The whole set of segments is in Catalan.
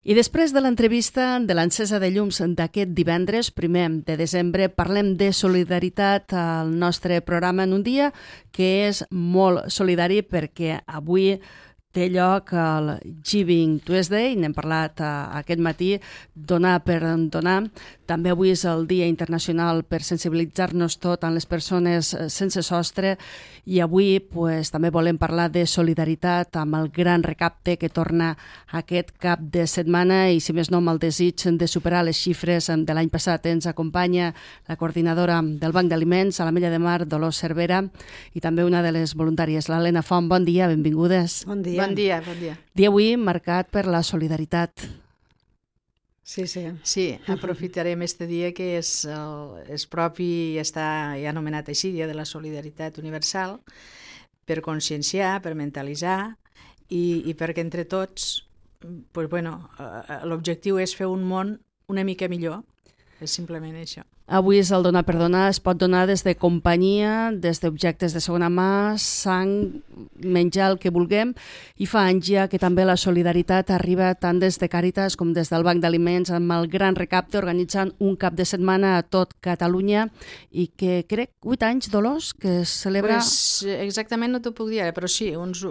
I després de l'entrevista de l'encesa de llums d'aquest divendres, 1 de desembre, parlem de solidaritat al nostre programa en un dia que és molt solidari perquè avui té lloc el Giving Tuesday, n'hem parlat aquest matí, donar per donar. També avui és el Dia Internacional per sensibilitzar-nos tot amb les persones sense sostre i avui també volem parlar de solidaritat amb el gran recapte que torna aquest cap de setmana i, si més no, amb el desig de superar les xifres de l'any passat. Ens acompanya la coordinadora del Banc d'Aliments a l'Ametlla de Mar, Dolors Cervera, i també una de les voluntàries, l'Helena Font. Bon dia, benvingudes. Bon dia. Bon dia, bon dia. Dia avui marcat per la solidaritat. Sí. Sí, aprofitarem este dia que és propi i està ja anomenat així, Dia de la Solidaritat Universal, per conscienciar, per mentalitzar i perquè entre tots, l'objectiu és fer un món una mica millor, és simplement això. Avui és el donar per donar, es pot donar des de companyia, des d'objectes de segona mà, sang, menjar el que vulguem, i fa anys ja que també la solidaritat arriba tant des de Càritas com des del Banc d'Aliments amb el gran recapte, organitzant un cap de setmana a tot Catalunya i que crec 8 anys, Dolors, que es celebra... Exactament no t'ho puc dir, però sí, uns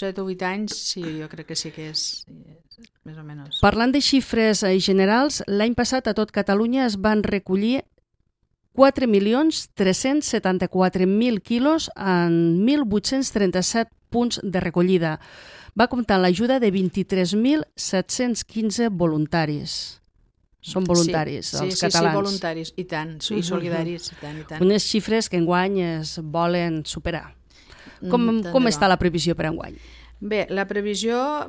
7 o 8 anys, sí, jo crec que sí que és més o menys. Parlant de xifres generals, l'any passat a tot Catalunya es van recollir 4.374.000 quilos en 1.837 punts de recollida. Va comptar l'ajuda de 23.715 voluntaris. Són voluntaris, els catalans. Sí, voluntaris, i tant, i solidaris, i tant. Unes xifres que enguany es volen superar. Com està la previsió per enguany? Bé, la previsió,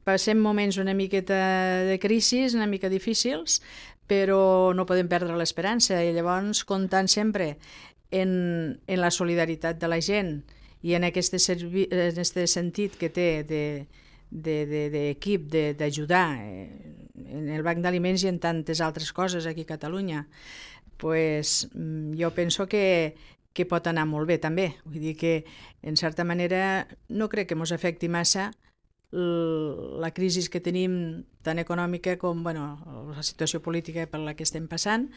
passem moments una miqueta de crisi, una mica difícils, però no podem perdre l'esperança i llavors comptant sempre en la solidaritat de la gent i en aquest sentit que té d'equip, d'ajudar en el Banc d'Aliments i en tantes altres coses aquí a Catalunya, jo penso que pot anar molt bé també. Vull dir que, en certa manera, no crec que ens afecti massa la crisi que tenim tant econòmica com la situació política per la que estem passant,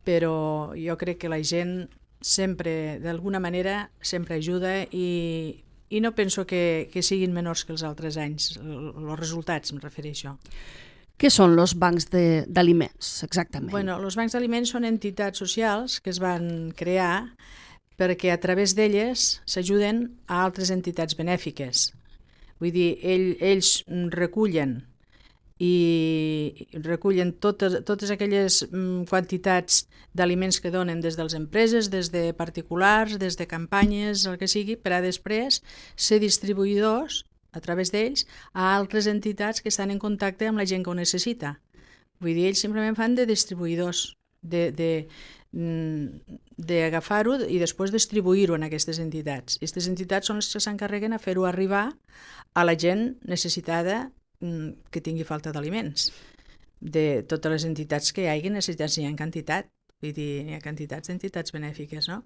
però jo crec que la gent sempre, d'alguna manera, sempre ajuda i no penso que siguin menors que els altres anys. Els resultats, em refereixo. Què són els bancs d'aliments, exactament? Els bancs d'aliments són entitats socials que es van crear perquè a través d'elles s'ajuden a altres entitats benèfiques. Vull dir, ells recullen totes aquelles quantitats d'aliments que donen des de les empreses, des de particulars, des de campanyes, el que sigui, per a després ser distribuïdors, a través d'ells, a altres entitats que estan en contacte amb la gent que ho necessita. Vull dir, ells simplement fan de distribuïdors, d'agafar-ho i després distribuir-ho en aquestes entitats. Aquestes entitats són les que s'encarreguen a fer-ho arribar a la gent necessitada que tingui falta d'aliments. De totes les entitats que hi hagi, necessitats n'hi ha en quantitat. Vull dir, hi ha quantitats d'entitats benèfiques, no?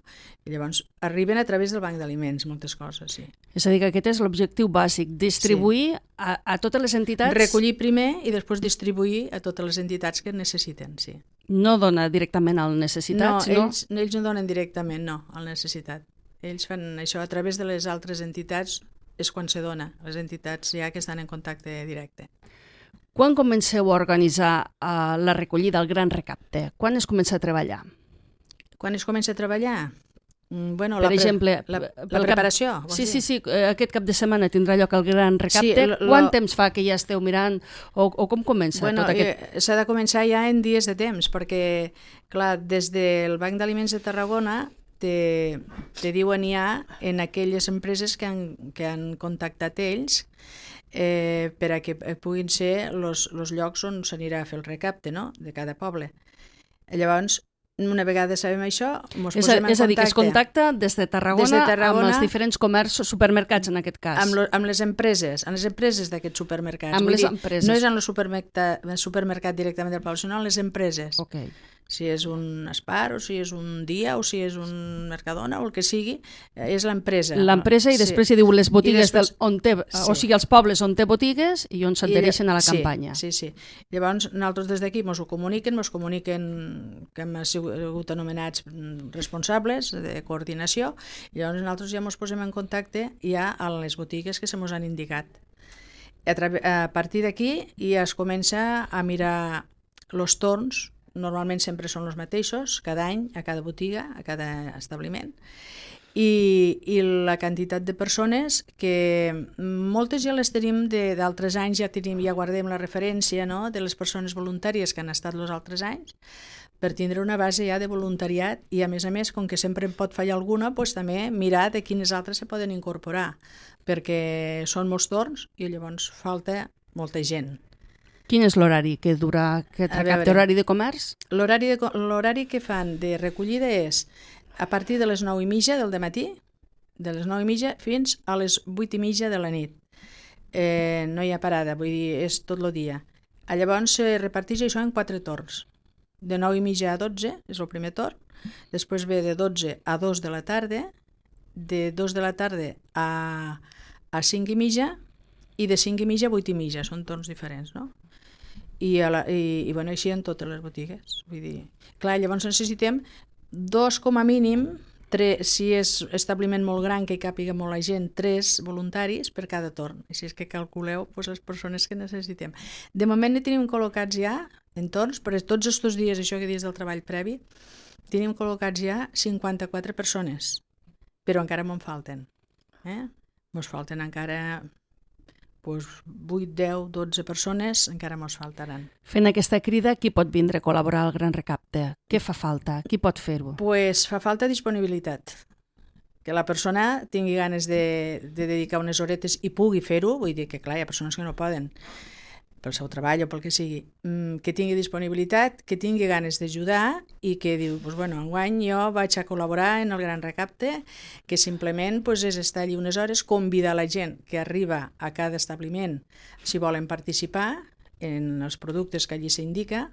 I llavors arriben a través del Banc d'Aliments moltes coses, sí. És a dir, que aquest és l'objectiu bàsic, distribuir a totes les entitats... Recollir primer i després distribuir a totes les entitats que necessiten, sí. No dona directament al necessitat, no? Ells no donen directament, no, al necessitat. Ells fan això a través de les altres entitats, és quan se dona, les entitats ja que estan en contacte directe. Quan comenceu a organitzar la recollida, el gran recapte? Quan es comença a treballar? Quan es comença a treballar? Per exemple, la preparació. Sí, aquest cap de setmana tindrà lloc el gran recapte. Quant temps fa que ja esteu mirant o com comença tot aquest... S'ha de començar ja en dies de temps, perquè, clar, des del Banc d'Aliments de Tarragona te diuen ja en aquelles empreses que han contactat ells per a que puguin ser els llocs on s'anirà a fer el recapte, no?, de cada poble. Llavors, una vegada sabem això, ens posem en contacte. És a dir, que es contacta des de Tarragona amb els diferents comerços, supermercats en aquest cas. Amb les empreses d'aquests supermercats. Amb les empreses. No és en el supermercat directament del poble, sinó en les empreses. Okay. Si és un Spar, o si és un Dia, o si és un Mercadona, o el que sigui, és l'empresa. L'empresa i després hi diu les botigues després, on té, o sigui, els pobles on té botigues i on s'adhereixen a la campanya. Sí. Llavors, nosaltres des d'aquí ens comuniquen que hem sigut anomenats responsables de coordinació, i llavors nosaltres ja ens posem en contacte ja a les botigues que se mos han indicat. A partir d'aquí ja es comença a mirar els torns. Normalment sempre són els mateixos, cada any, a cada botiga, a cada establiment, i la quantitat de persones que moltes ja les tenim d'altres anys, ja guardem la referència, no?, de les persones voluntàries que han estat els altres anys, per tindre una base ja de voluntariat i, a més, com que sempre en pot fallar alguna, doncs també mirar de quines altres se poden incorporar, perquè són molts torns i llavors falta molta gent. Quin és l'horari que dura aquest recapte? Horari de comerç? L'horari que fan de recollida és a partir de les 9:30 del dematí, de les 9:30 fins a les 8:30 de la nit. No hi ha parada, vull dir, és tot el dia. Llavors se reparteix això en 4 torns. De 9:30 a 12 és el primer torn, després ve de 12 a 2 de la tarda, de 2 de la tarda a 5:30 i de 5:30 a 8:30, són torns diferents, no? I així en totes les botigues. Vull dir, clar, llavors necessitem 2 com a mínim, 3, si és establiment molt gran que hi càpiga molt la gent, 3 voluntaris per cada torn. Així és que calculeu les persones que necessitem. De moment ne tenim col·locats ja en torns, però tots aquests dies, això que dius del treball previ, tenim col·locats ja 54 persones, però encara me'n falten. Ens falten encara 8, 10, 12 persones, encara ens faltaran. Fent aquesta crida, qui pot vindre a col·laborar al Gran Recapte? Què fa falta? Qui pot fer-ho? Pues fa falta disponibilitat. Que la persona tingui ganes de dedicar unes horetes i pugui fer-ho, vull dir que clar, hi ha persones que no poden, pel seu treball o pel que sigui, que tingui disponibilitat, que tingui ganes d'ajudar i que diu, enguany jo vaig a col·laborar en el Gran Recapte, que simplement és estar allí unes hores, convidar la gent que arriba a cada establiment si volen participar en els productes que allí s'indica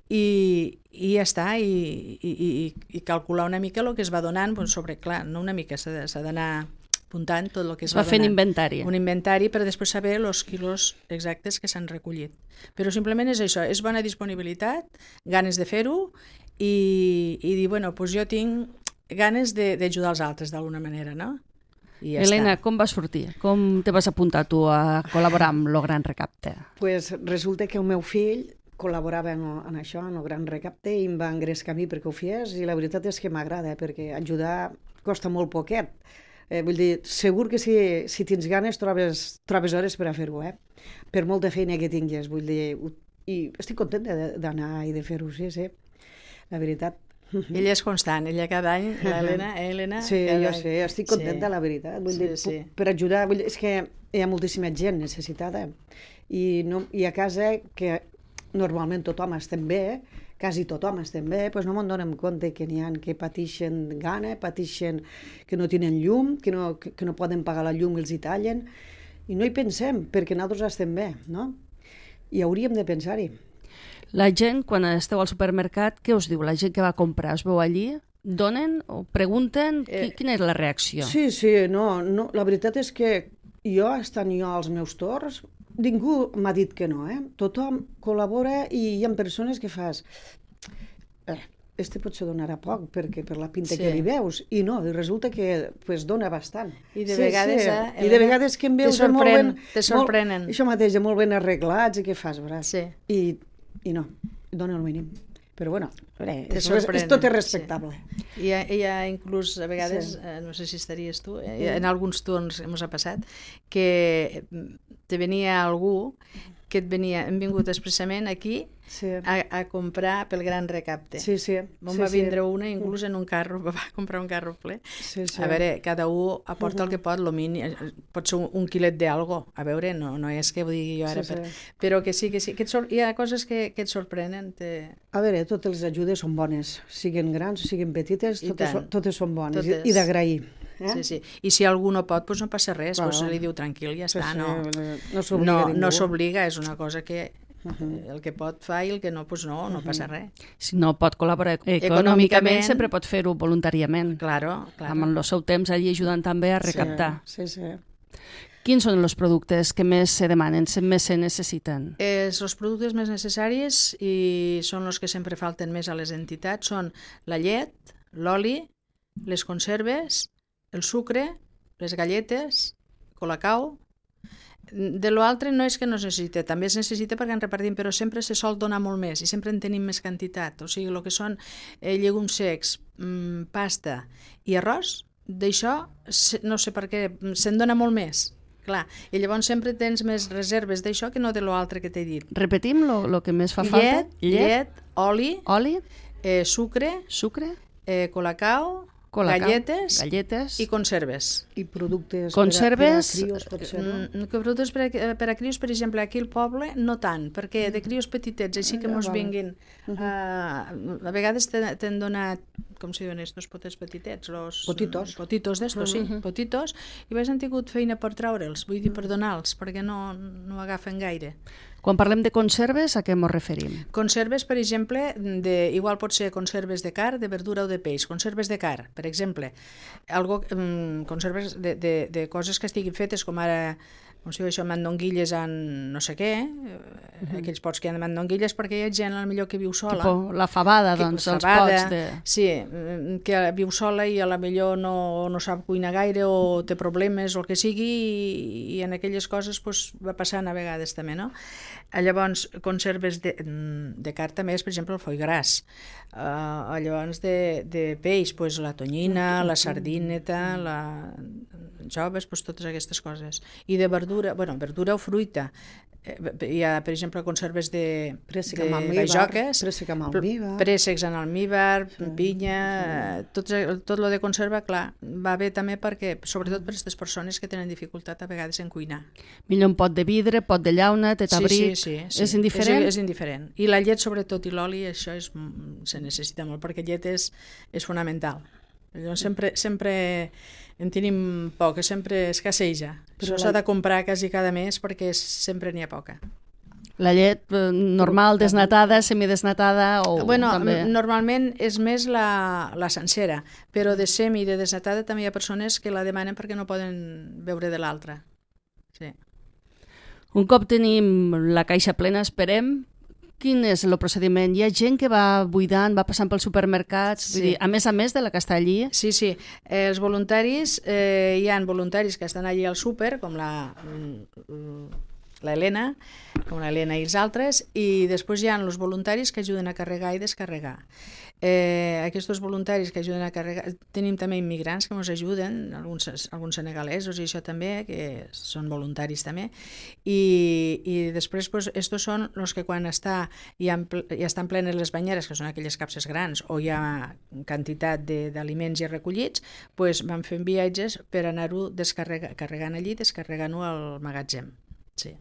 i ja està, i calcular una mica el que es va donant sobre, clar, no una mica, s'ha d'anar apuntant tot el que es va fent inventari. Un inventari per després saber els quilos exactes que s'han recollit. Però simplement és això, és bona disponibilitat, ganes de fer-ho i dir, jo tinc ganes d'ajudar els altres d'alguna manera, no? I ja Helena, està. com vas sortir? Com te vas apuntar tu a col·laborar amb el Gran Recapte? Pues resulta que el meu fill col·laborava en això, en el Gran Recapte, i em va engrescar a mi perquè ho fes, i la veritat és que m'agrada, perquè ajudar costa molt poquet. Vull dir, segur que si tens ganes trobes hores per a fer-ho, per molta feina que tinguis, vull dir, i estic contenta d'anar i de fer-ho, sí, la veritat. Ella és constant, ella cada any, l'Helena... Sí, jo sé, estic contenta, la veritat, vull dir, per ajudar, és que hi ha moltíssima gent necessitada, i a casa, que normalment tothom estem bé, quasi tothom estem bé, doncs no me'n donem compte que n'hi ha que pateixen gana, pateixen que no tenen llum, que no poden pagar la llum i els hi tallen, i no hi pensem, perquè nosaltres estem bé, no? I hauríem de pensar-hi. La gent, quan esteu al supermercat, què us diu? La gent que va comprar, us veu allí? Donen o pregunten? Quina és la reacció? Sí, no, la veritat és que jo, estant jo als meus torns, ningú m'ha dit que no, Tothom col·labora i hi ha persones que fas... potser donarà poc perquè per la pinta que li veus, i no, i resulta que dona bastant. I de vegades, i de vegades que em veus te sorprenen. Això mateix, molt ben arreglats, i què fas, bràs? Sí. I no, dona el mínim. Però bueno, tot és respectable. Sí. Hi ha inclús, a vegades, no sé si estaries tu, en alguns torns ens ha passat, que te venia algú que hem vingut expressament aquí a comprar pel Gran Recapte. Va vindre una, inclús en un carro, va comprar un carro ple. A veure, cada un aporta el que pot, pot ser un quilet d'algo, a veure, no és que ho digui jo ara, però que sí, hi ha coses que et sorprenen. A veure, totes les ajudes són bones, siguin grans o siguin petites, totes són bones, i d'agrair. Sí. I si algú no pot, doncs no passa res, li diu tranquil, ja està, no s'obliga, és una cosa que El que pot fa i el que no, doncs no passa res. Si no pot col·laborar econòmicament, sempre pot fer-ho voluntàriament. Claro. Amb el seu temps allí ajudant també a recaptar. Sí. Quins són els productes que més se demanen, més se necessiten? Els productes més necessaris i són els que sempre falten més a les entitats són la llet, l'oli, les conserves, el sucre, les galletes, colacao. De l'altre no és que no es necessita, també es necessita perquè en repartim, però sempre se sol donar molt més i sempre en tenim més quantitat. O sigui, el que són llegums secs, pasta i arròs, d'això no sé per què, se'n dona molt més. Clar, i llavors sempre tens més reserves d'això que no de l'altre que t'he dit. Repetim el que més fa falta? Llet, oli, sucre, colacao, galletes i conserves. I productes conserves, per a crios, potser, no? Productes per a crios, per exemple, aquí al poble no tant, perquè de crios petitets, així que mos vinguin. A vegades t'han donat, com si diuen estos potets petitets? Potitos. Potitos d'estos, sí, potitos, i han tingut feina per treure'ls, vull dir, per donar-los, perquè no agafen gaire. Quan parlem de conserves, a què ens referim? Conserves, per exemple, igual pot ser conserves de carn, de verdura o de peix. Conserves de carn, per exemple. Conserves de coses que estiguin fetes, com ara, com si diu això, mandonguilles en no sé què, aquells pots que hi ha de mandonguilles, perquè hi ha gent millor que viu sola. Tipo la fabada, doncs, els pots de... Sí, que viu sola i a la millor no sap cuinar gaire o té problemes o el que sigui i en aquelles coses va passant a vegades també, no? Llavors, conserves de carn també és, per exemple, el foie gras. Llavors, de peix, la tonyina, la sardineta, la joves, totes aquestes coses. I de verdura, verdura o fruita. Hi ha, per exemple, conserves de bajoques, préssecs en almíbar, pinya, tot el de conserva, clar, va bé també perquè, sobretot per aquestes persones que tenen dificultat a vegades en cuinar. Millor un pot de vidre, pot de llauna, tetabric, sí. És indiferent? És indiferent. I la llet, sobretot, i l'oli, això se necessita molt, perquè llet és fonamental. Llavors, sempre en tenim poca, sempre escasseja. Però s'ha de comprar quasi cada mes perquè sempre n'hi ha poca. La llet normal, desnatada, semidesnatada o també? Normalment és més la sencera, però de semi i de desnatada també hi ha persones que la demanen perquè no poden beure de l'altra. Sí. Un cop tenim la caixa plena, esperem, quin és el procediment? Hi ha gent que va buidant, va passant pels supermercats, vull dir, a més de la que està allí? Sí. Els voluntaris, hi ha voluntaris que estan allí al súper, com l'Helena i els altres, i després hi ha els voluntaris que ajuden a carregar i descarregar. Aquests voluntaris que ajuden a carregar, tenim també immigrants que ens ajuden, alguns senegalesos i això també, que són voluntaris també, i després estos són els que quan ja estan plenes les banyeres, que són aquelles capses grans, o hi ha quantitat d'aliments ja recollits, van fent viatges per anar-ho carregant allí, descarregant-ho al magatzem. Sí.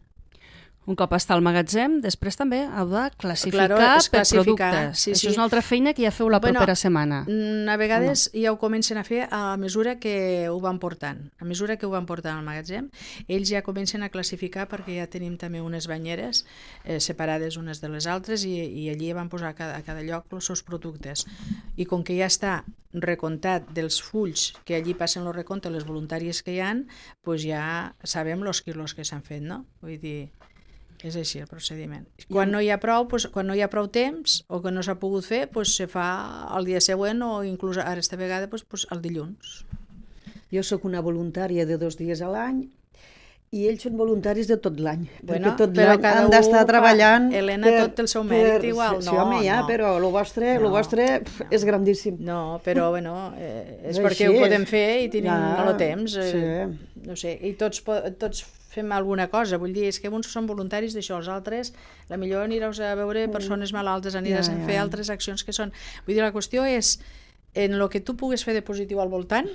Un cop està al magatzem, després també heu de classificar per productes. Sí. Això és una altra feina que ja feu la propera setmana. A vegades ja ho comencen a fer a mesura que ho van portant. A mesura que ho van portant al magatzem, ells ja comencen a classificar perquè ja tenim també unes banyeres separades unes de les altres i allí van posar a cada lloc els seus productes. I com que ja està recomptat dels fulls que allí passen el recompte, les voluntàries que hi ha, ja sabem els quilos que s'han fet, no? Vull dir... És així el procediment. Quan no hi ha prou temps o que no s'ha pogut fer, se fa el dia següent o inclús ara esta vegada el dilluns. Jo sóc una voluntària de 2 dies a l'any i ells són voluntaris de tot l'any. Perquè tot l'any han d'estar treballant... Helena, tot el seu mèrit igual. Sí, home, ja, però el vostre és grandíssim. No, però és perquè ho podem fer i tenim el temps. No sé, i tots fem alguna cosa, vull dir, és que uns són voluntaris d'això, els altres, la millor aniràs a veure persones malaltes, aniràs a fer altres accions que són... Vull dir, la qüestió és en el que tu pugues fer de positiu al voltant,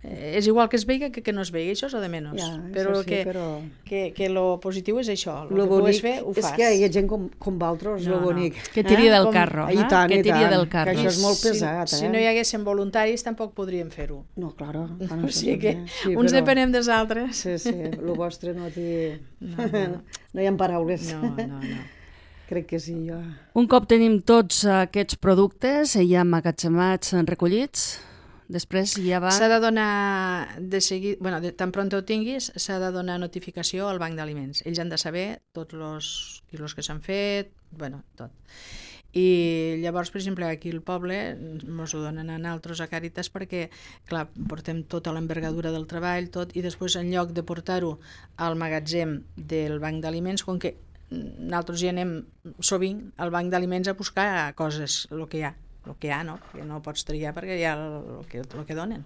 és igual que es veiga que no es veiga, això és el de menys. Però que lo positiu és això, el que pugues fer, ho fas. És que hi ha gent com vosaltres, lo bonic. Que tiri del carro. I tant, que tiri del carro. Que això és molt pesat. Si no hi haguessin voluntaris, tampoc podríem fer-ho. No, clar. O sigui que uns depenem dels altres. Sí, el vostre no té... No hi ha paraules. No. Crec que sí, jo. Un cop tenim tots aquests productes ja emmagatzemats, recollits, després ja va... S'ha de donar de seguida, tan pront ho tinguis, s'ha de donar notificació al banc d'aliments. Ells han de saber tots els quilos que s'han fet, tot. I llavors, per exemple, aquí al poble ens ho donen a nosaltres a Càritas perquè, clar, portem tota l'envergadura del treball, tot, i després en lloc de portar-ho al magatzem del banc d'aliments, com que nosaltres hi anem sovint al banc d'aliments a buscar coses, el que hi ha, no? Que no pots triar perquè hi ha el que donen.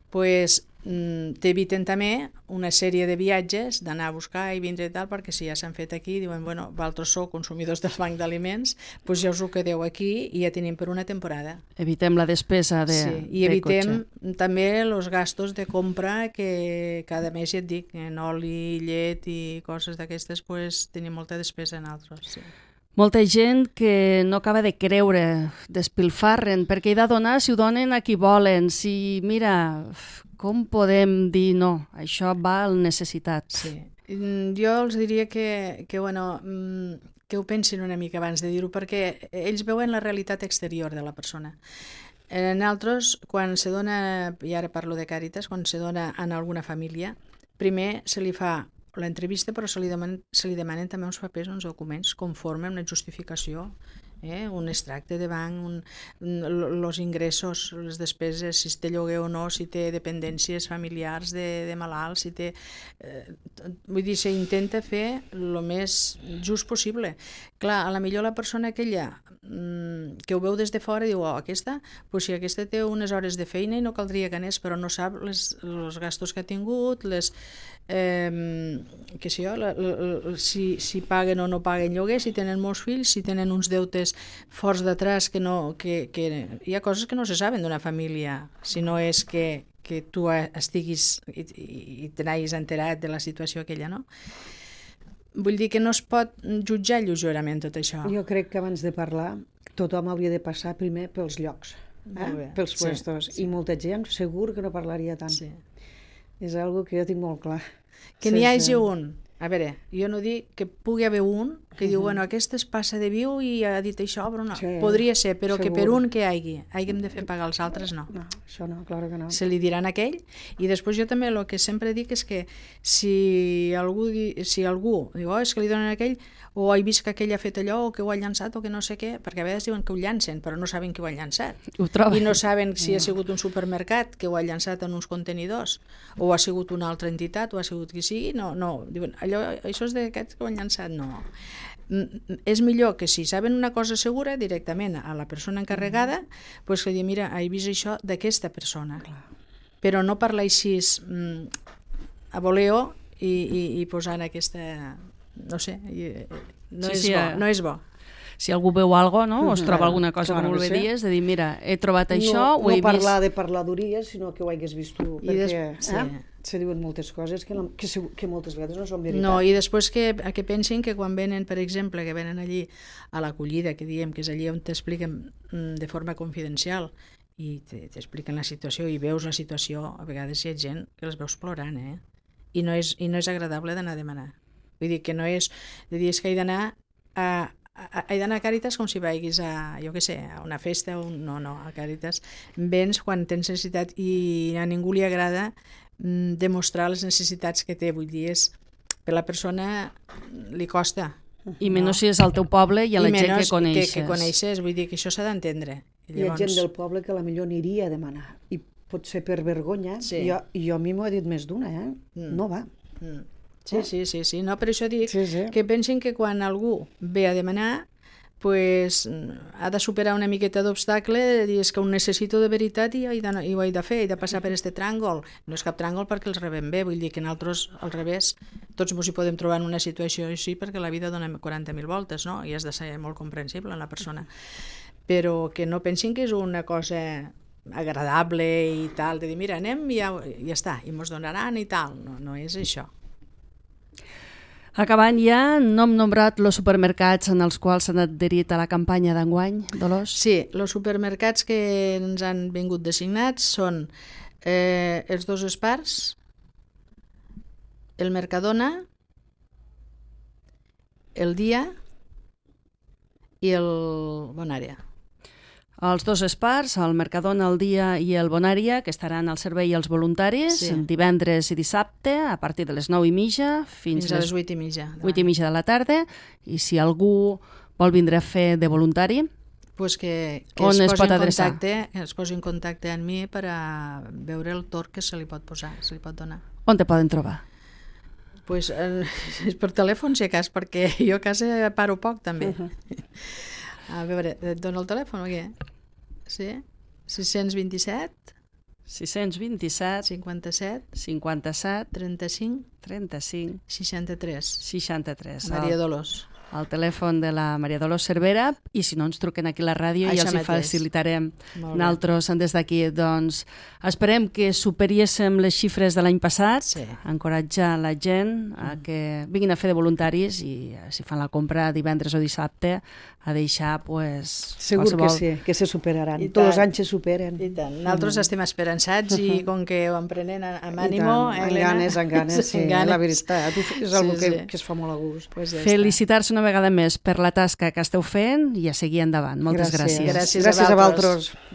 Pues t'eviten també una sèrie de viatges d'anar a buscar i vindre i tal, perquè si ja s'han fet aquí, diuen, vosaltres sou consumidors del banc d'aliments, doncs ja us ho quedeu aquí i ja tenim per una temporada. Evitem la despesa de cotxe. I evitem també els gastos de compra que cada mes, ja et dic, en oli, llet i coses d'aquestes, doncs tenim molta despesa en altres, sí. Molta gent que no acaba de creure, despilfarren, perquè he de donar si ho donen a qui volen. Si, mira, com podem dir no? Això va al necessitat. Sí. Jo els diria que ho pensin una mica abans de dir-ho, perquè ells veuen la realitat exterior de la persona. Nosaltres, quan se dona, i ara parlo de Càritas, quan se dona en alguna família, primer se li fa l'entrevista, però se li demanen també uns papers, uns documents conforme una justificació, un extracte de banc, els ingressos, les despeses, si té lloguer o no, si té dependències familiars de malalts, si té... Vull dir, s'intenta fer el més just possible. Clar, a la millor la persona aquella que ho veu des de fora diu, aquesta, doncs si aquesta té unes hores de feina i no caldria que anés, però no sap els gastos que ha tingut, si paguen o no paguen lloguer, si tenen molts fills, si tenen uns deutes forts d'atrás que hi ha coses que no se saben d'una família, si no és que tu estiguis i te n'hagis enterat de la situació aquella, no? Vull dir que no es pot jutjar lleugerament tot això. Jo crec que abans de parlar tothom hauria de passar primer pels llocs, pels puestos, i molta gent segur que no parlaria tant. Sí. És algo que jo tinc molt clar. Que n'hi hagi un. A veure, jo no dic que pugui haver un que diu, aquest es passa de viu i ha dit això, però no. Sí, podria ser, però segur. Que per un que hàgim de fer pagar els altres, no. No, això no, clar que no. Se li diran a aquell, i després jo també el que sempre dic és que si algú diu, és que li donen a aquell, o he vist que aquell ha fet allò, o que ho ha llançat, o que no sé què, perquè a vegades diuen que ho llancen, però no saben que ho ha llançat. I no saben si ha sigut un supermercat que ho ha llançat en uns contenidors, o ha sigut una altra entitat, o ha sigut qui sigui, no, diuen, això és d'aquests que ho han llançat, no. És millor que si saben una cosa segura directament a la persona encarregada, doncs que digui, mira, he vist això d'aquesta persona. Però no parlar així a voleo i posant aquesta... no sé, no és bo. Si algú veu alguna cosa, no? O es troba alguna cosa que volveries, de dir, mira, he trobat això, ho he vist... No parlar de parladories, sinó que ho hagués vist tu, perquè se diuen moltes coses que moltes vegades no són veritat. No, i després que pensin que quan venen, per exemple, que venen allí a l'acollida, que diem que és allí on t'expliquen de forma confidencial i t'expliquen la situació i veus la situació, a vegades hi ha gent que els veus plorant, i no és agradable d'anar a demanar. Vull dir que no és... És que he d'anar a Càritas com si vagis a, jo què sé, a una festa, no, a Càritas vens quan tens necessitat i a ningú li agrada demostrar les necessitats que té, vull dir, per la persona li costa. I menys si és al teu poble i a la gent que coneixes. Que coneixes, vull dir que això s'ha d'entendre. Hi ha gent del poble que potser aniria a demanar i potser per vergonya, jo a mi m'ho ha dit més d'una, no va. Sí, no, per això dic que pensin que quan algú ve a demanar pues, ha de superar una miqueta d'obstacle, és que ho necessito de veritat i ho he de fer, he de passar per este tràngol. No és cap tràngol perquè els rebem bé, vull dir que nosaltres al revés, tots ens hi podem trobar en una situació així perquè la vida dona 40.000 voltes, no? I has de ser molt comprensible en la persona. però que no pensin que és una cosa agradable i tal, de dir, mira, anem i ja està, i mos donaran i tal. No és això. Acabant ja, no hem nombrat els supermercats en els quals s'han adherit a la campanya d'enguany, Dolors? Sí, els supermercats que ens han vingut designats són els dos Espars, el Mercadona, el Dia i el Bonària. Els dos Espars, el Mercadona, el Dia i el Bonària, que estaran al servei als voluntaris divendres i dissabte a partir de les 9:30 fins a les 8:30. 8:30 de la tarda. I si algú vol vindre a fer de voluntari, pues que es posi en contacte amb mi per a veure el torn que se li pot posar, se li pot donar. On te poden trobar? Pues per telèfon, si a cas, perquè jo a casa paro poc també. A veure, et dono el telèfon o què? Sí? 627 57 35 63. Maria Dolors. El telèfon de la Maria Dolors Cervera, i si no ens truquen aquí a la ràdio ja els hi facilitarem nosaltres des d'aquí. Doncs esperem que superiéssim les xifres de l'any passat, encoratjar la gent a que vinguin a fer de voluntaris i si fan la compra divendres o dissabte a deixar segur qualsevol... que se superaran, tots els anys se superen. I tant, nosaltres estem esperançats i com que ho emprenem amb ànimo, Helena? Amb ganes, sí, la veritat, és una que es fa molt a gust. Felicitar-se una vegada més per la tasca que esteu fent i a seguir endavant. Moltes gràcies. Gràcies a vosaltres.